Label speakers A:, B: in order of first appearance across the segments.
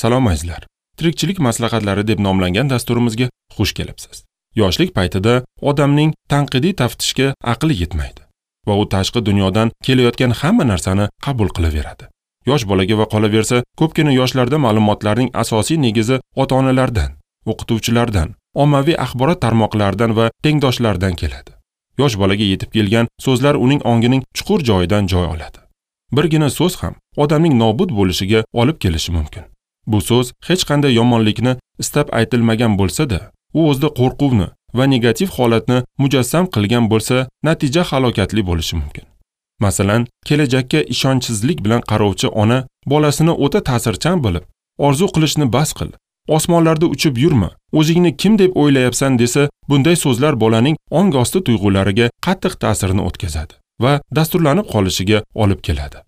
A: Salom azizlar. Tirikchilik maslahatlari deb nomlangan dasturimizga xush kelibsiz. Yoshlik paytida odamning tanqidiy taftishga aqli yetmaydi va u tashqi dunyodan kelayotgan hamma narsani qabul qilaveradi. Yosh bolaga va qolaversa, ko'pgina yoshlarda ma'lumotlarning asosiy negizi ota-onalardan, o'qituvchilardan, ommaviy axborot tarmoqlaridan va tengdoshlardan keladi. Yosh bolaga yetib kelgan so'zlar uning ongining chuqur joyidan joy oladi. Birgina so'z ham odamning nobud bo'lishiga olib kelishi mumkin. Bu so'z hech qanday yomonlikni istab aytilmagan bo'lsa-da, u o'zida qo'rquvni va negativ holatni mujassam qilgan bo'lsa, natija halokatli bo'lishi mumkin. Masalan, kelajakka ishonchsizlik bilan qarovchi ona bolasini o'ta ta'sirchan bilib, orzu qilishni bas qil, osmonlarda uchib yurma, o'zingni kim deb o'ylayapsan desa, bunday so'zlar bolaning ong osti tuyg'ulariga qattiq ta'sirini o'tkazadi va dasturlanib qolishiga olib keladi.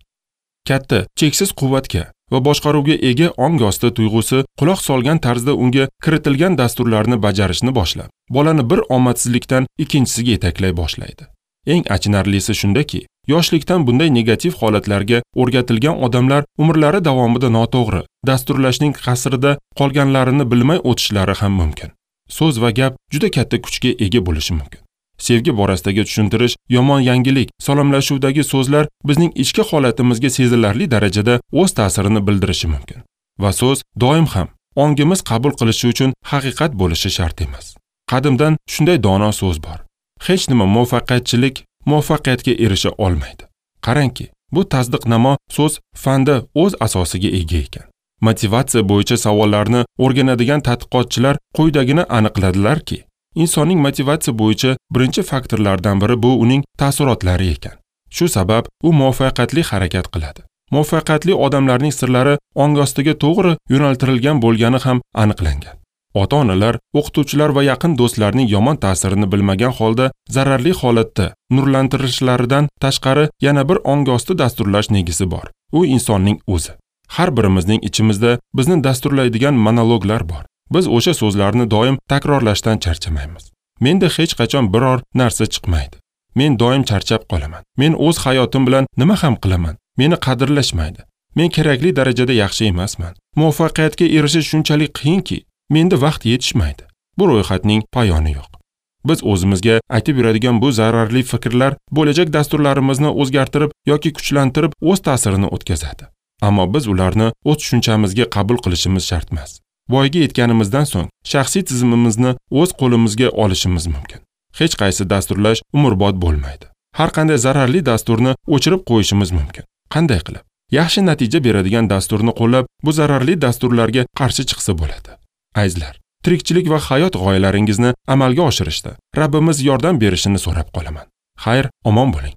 A: Katta, cheksiz quvvatga va boshqaruvga ega ong osti tuyg'usi quloq solgan tarzda unga kiritilgan dasturlarni bajarishni boshlab, bolani bir omadsizlikdan ikkinchisiga yetaklay boshlaydi. Eng achinarlisi shundaki, yoshlikdan bunday negativ holatlarga o'rgatilgan odamlar umrlari davomida noto'g'ri dasturlashning qasrida qolganlarini bilmay o'tishlari ham mumkin. So'z va gap juda katta kuchga ega bo'lishi mumkin. Sevgi borasidagi tushuntirish, yomon yangilik, salomlashuvdagi so'zlar bizning ichki holatimizga sezilarli darajada o'z ta'sirini bildirishi mumkin. Va so'z doim ham ongimiz qabul qilishi uchun haqiqat bo'lishi shart emas. Qadimdan shunday dono so'z bor: hech nima muvaffaqiyatchilik muvaffaqiyatga erisha olmaydi. Qarangki, bu tasdiqnamo so'z fanda o'z asosiga ega ekan. Motivatsiya bo'yicha savollarni o'rganadigan tadqiqotchilar quyidagini aniqladilarki, insonning motivatsiya bo'yicha birinchi faktorlardan biri bu uning taassurotlari ekan. Shu sabab u muvaffaqiyatli harakat qiladi. Muvaffaqiyatli odamlarning sirlari ong ostiga to'g'ri yo'naltirilgan bo'lgani ham aniqlangan. Ota-onalar, o'qituvchilar va yaqin do'stlarning yomon ta'sirini bilmagan holda zararli holatda nurlantirishlaridan tashqari yana bir ong osti dasturlash negizi bor. U insonning o'zi. Har birimizning ichimizda bizni dasturlaydigan monologlar bor. Biz o'sha so'zlarni doim takrorlashdan charchamaymiz. Menda hech qachon biror narsa chiqmaydi. Men doim charchab qolaman. Men o'z hayotim bilan nima ham qilaman? Meni qadrlashmaydi. Men kerakli darajada yaxshi emasman. Muvaffaqiyatga erishish shunchalik qiyinki, menda vaqt yetishmaydi. Bu ro'yxatning poyoni yo'q. Biz o'zimizga aytib yuradigan bu zararli fikrlar bo'lajak dasturlarimizni o'zgartirib yoki kuchlantirib o'z ta'sirini o'tkazadi. Ammo biz ularni o'z tushunchamizga qabul qilishimiz shart emas. Voyaga yetganimizdan so'ng shaxsiy tizimimizni o'z qo'limizga olishimiz mumkin. Hech qaysi dasturlash umrbod bo'lmaydi. Har qanday zararli dasturni o'chirib qo'yishimiz mumkin. Qanday qilib? Yaxshi natija beradigan dasturni qo'llab, bu zararli dasturlarga qarshi chiqsa bo'ladi. Azizlar, tirikchilik va hayot g'oyalaringizni amalga oshirishda Rabbimiz yordam berishini so'rab qolaman. Xayr, omon bo'ling.